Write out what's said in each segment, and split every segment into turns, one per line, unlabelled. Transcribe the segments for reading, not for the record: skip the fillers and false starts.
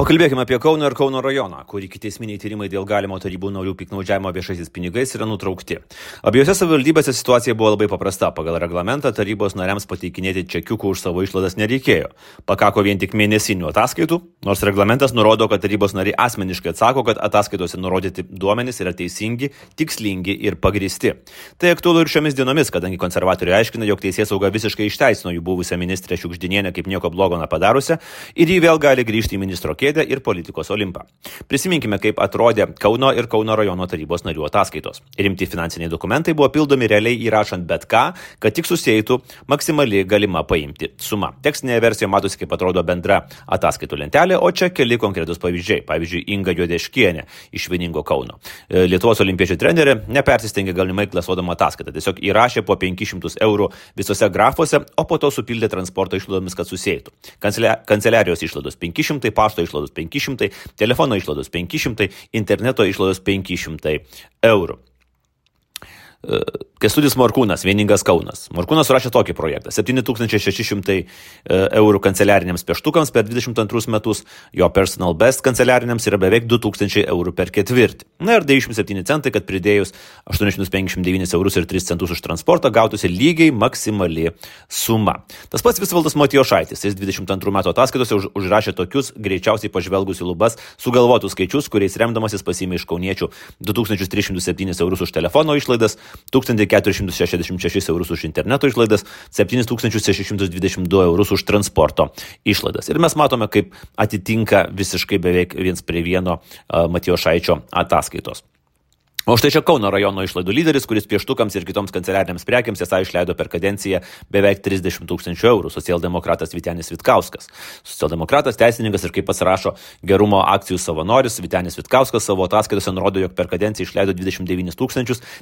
Pakalbėkime apie Kauną ir Kauno rajoną, kur ikiteisminiai tyrimai dėl galimo tarybų narių piktnaudžiavimo viešaisiais pinigais yra nutraukti. Abiejose savivaldybėse situacija buvo labai paprasta. Pagal reglamentą tarybos nariams pateikinėti čekiukų už savo išlaidas nereikėjo. Pakako vien tik mėnesinių ataskaitų, nors reglamentas nurodo, kad tarybos nariai asmeniškai atsako, kad ataskaitose nurodyti duomenys yra teisingi, tikslingi ir pagristi. Tai aktualu ir šiomis dienomis, kadangi konservatoriai aiškina, jog teisėsauga visiškai išteisino jų buvusią ministrę Šiugždinienę kaip nieko blogo nepadarusią ir ji vėl gali grįžti į ministro kėdę ir politikos olimpą. Prisiminkime, kaip atrodė Kauno ir Kauno rajono tarybos narių ataskaitos. Rimti finansiniai dokumentai buvo pildomi realiai įrašant bet ką, kad tik susietų maksimali galima paimti suma. Tekstinėje versijoje matosi, kaip atrodo bendra ataskaitų lentelė, o čia keli konkretus pavyzdžiai. Pavyzdžiui, Inga Juodeškienė iš Vieningo Kauno. Lietuvos olimpiečių trenerė nepersistengė galimai klasuodama ataskaitą. Tiesiog įrašė po 500 eurų visose grafuose, o po to supildė transporto išlaidomis, kad susietų. Kanceliarijos išlaidos 500, pašto išlaidos 500, telefono išlaidos 500, interneto išlaidos 500 eurų. Kęstutis Morkūnas, Vieningas Kaunas. Morkūnas surašė tokį projektą. 7600 eurų kanceliariniams pieštukams per 22 metus, jo personal best kanceliariniams yra beveik 2000 eurų per ketvirtį. Na ir 97 centai, kad pridėjus 859 eurus ir 3 centus už transportą gautųsi lygiai maksimali suma. Tas pats Visvaldas Matijošaitis, jis 22 metų ataskaitose užrašė tokius greičiausiai pažvelgus į lubas sugalvotus skaičius, kuriais remdamasis pasiėmė iš kauniečių 2307 eurus už telefono išlaidas, 1466 eurus už interneto išlaidas, 7622 eurus už transporto išlaidas. Ir mes matome, kaip atitinka visiškai beveik viens prie vieno Matijošaičio ataskaitos. O štai čia Kauno rajono išlaidų lyderis, kuris pieštukams ir kitoms kanceliariniams prekiams esą išleido per kadenciją beveik 30 000 eurų, socialdemokratas Vytenis Vitkauskas. Socialdemokratas, teisininkas ir kaip pats rašo gerumo akcijų savanoris, Vytenis Vitkauskas savo ataskaitose nurodo, jog per kadenciją išleido 29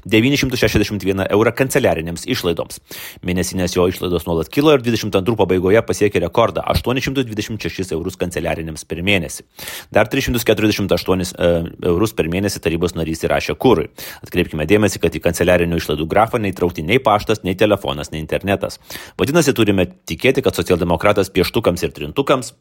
961 eurą kanceliarinėms išlaidoms. Mėnesinės jo išlaidos nuolat kilo ir 22 pabaigoje pasiekė rekordą 826 eurus kanceliarinėms per mėnesį. Dar 348 eurus per mėnesį tarybos narys įrašė kurui. Atkreipkime dėmesį, kad į kanceliarinių išlaidų grafą neįtraukti nei paštas, nei telefonas, nei internetas. Vadinasi, turime tikėti, kad socialdemokratas pieštukams ir trintukams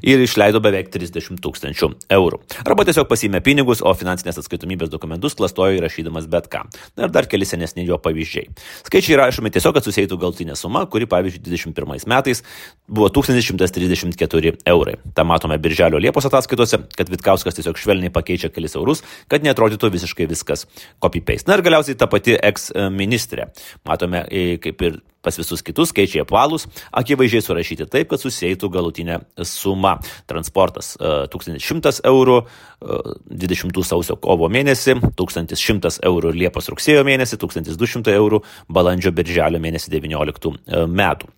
ir išleido beveik 30 000 eurų. Arba tiesiog pasiėmė pinigus, o finansinės atskaitomybės dokumentus klastojo įrašydamas bet ką. Na ir dar keli senesni jo pavyzdžiai. Skaičiai rašomi tiesiog, kad susietų galutinė suma, kuri pavyzdžiui 21 metais buvo 1134 eurai. Ta matome Birželio Liepos ataskaitose, kad Vitkauskas tiesiog švelniai pakeičia kelis eurus, kad neatrodytų visiškai viskas copy-paste. Na ir galiausiai ta pati ex-ministrė. Matome, kaip ir pas visus kitus skaičiai apvalūs, akivaizdžiai surašyti taip, kad susietų galutinė suma. Transportas 1100 eurų 20 sausio kovo mėnesį, 1100 eurų Liepos rugsėjo mėnesį, 1200 eurų balandžio birželio mėnesį 19 metų.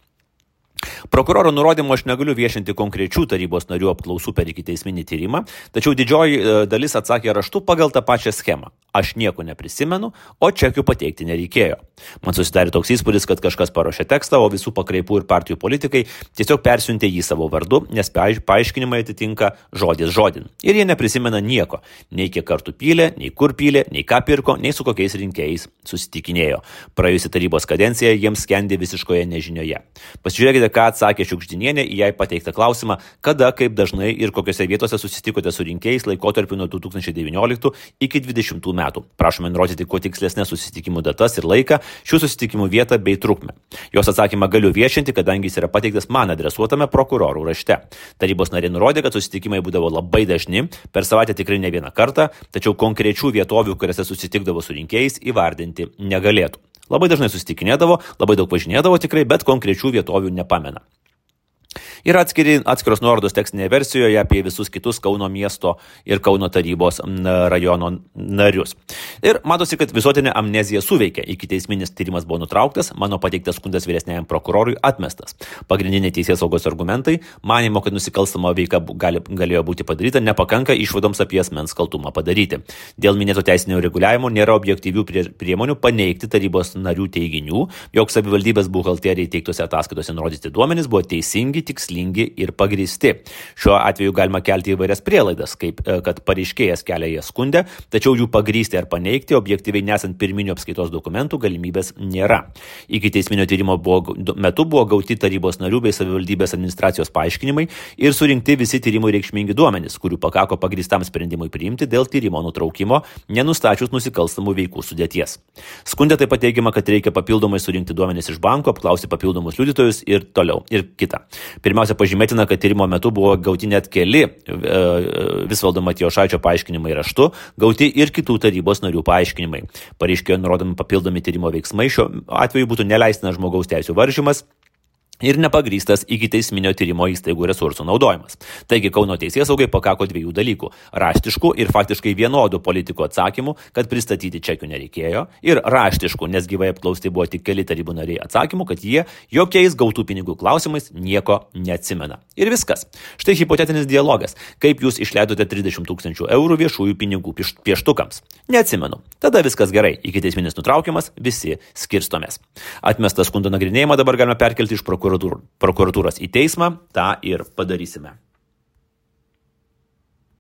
Prokuroro nurodymu aš negaliu viešinti konkrečių tarybos narių apklausų per ikiteisminį tyrimą, tačiau didžioji dalis atsakė raštu pagal tą pačią schemą. Aš nieko neprisimenu, o čekių pateikti nereikėjo. Man susidarė toks įspūdis, kad kažkas paruošė tekstą, o visų pakraipų ir partijų politikai tiesiog persiuntė jį savo vardu, nes paaiškinimai atitinka žodis žodin. Ir jie neprisimena nieko. Nei kiek kartų pylė, nei kur pylė, nei ką pirko, nei su kokiais rinkėjais susitikinėjo. Praėjusi tarybos kadencija jiems skendė visiškoje nežinioje. Pasižiūrėkite, ką atsakė Šiugždinienė į jai pateiktą klausimą, kada, kaip dažnai ir kokiose vietose susitikote su rinkėjais laikotarpiu nuo 2019 iki 2020 metų. Prašome nurodyti kuo tikslesnės susitikimų datas ir laiką, šių susitikimų vietą bei trukmę. Jos atsakymą galiu viešinti, kadangi jis yra pateiktas man adresuotame prokurorų rašte. Tarybos nariai nurodė, kad susitikimai būdavo labai dažni, per savaitę tikrai ne vieną kartą, tačiau konkrečių vietovių, kuriuose susitikdavo su rinkėjais, įvardinti negalėtų. Labai dažnai susitikinėdavo, labai daug važinėdavo tikrai, bet konkrečių vietovių nepamena. Yra atskiros nuorodos tekstinėje versijoje apie visus kitus Kauno miesto ir Kauno tarybos rajono narius. Ir matosi, kad visuotinė amnezija suveikė. Ikiteisminis tyrimas buvo nutrauktas, mano pateiktas skundas vyresniajam prokurorui atmestas. Pagrindiniai teisėsaugos argumentai, manimo, kad nusikalstama veika galėjo būti padaryta, nepakanka išvadoms apie asmens kaltumą padaryti. Dėl minėto teisinio reguliavimo nėra objektyvių priemonių paneigti tarybos narių teiginių, jog savivaldybės buhalteriai teiktose ataskaitose nurodyti duomenys buvo teisingi, tikslingi tikslingi ir pagrįsti. Šiuo atveju galima kelti įvairias prielaidas, kaip kad pareiškėjas kelia jas skundę, tačiau jų pagrįsti ar paneigti objektyviai nesant pirminių apskaitos dokumentų galimybės nėra. Ikiteisminio tyrimo metu buvo gauti tarybos narių bei savivaldybės administracijos paaiškinimai ir surinkti visi tyrimui reikšmingi duomenys, kurių pakako pagrįstam sprendimui priimti dėl tyrimo nutraukimo, nenustačius nusikalstamų veikų sudėties. Skunde taip pat teigiama, kad reikia papildomai surinkti duomenys iš banko, apklausti papildomus liudytojus ir toliau. Ir kita. Pirmiausia, pažymėtina, kad tyrimo metu buvo gauti net keli Visvaldo Matijošaičio paaiškinimai raštu, gauti ir kitų tarybos narių paaiškinimai. Pareiškėjo nurodomi papildomi tyrimo veiksmai, šiuo atveju būtų neleistinas žmogaus teisių varžymas ir nepagrįstas ikiteisminio tyrimo įstaigų resursų naudojimas. Taigi Kauno teisėsaugai pakako dviejų dalykų – raštiškų ir faktiškai vienodų politikų atsakymų, kad pristatyti čekių nereikėjo, ir raštiškų, nes gyvai apklausti buvo tik keli tarybų nariai atsakymų, kad jie jokiais gautų pinigų klausimais nieko neatsimena. Ir viskas. Štai hipotetinis dialogas. Kaip jūs išleidote 30 000 eurų viešųjų pinigų pieštukams? Neatsimenu. Tada viskas gerai. Ikiteisminis nutraukiamas, visi skirstomės. Atmestą skundo nagrinėjimą dabar galime perkelti iš prokuratūros į teismą, tą ir padarysime.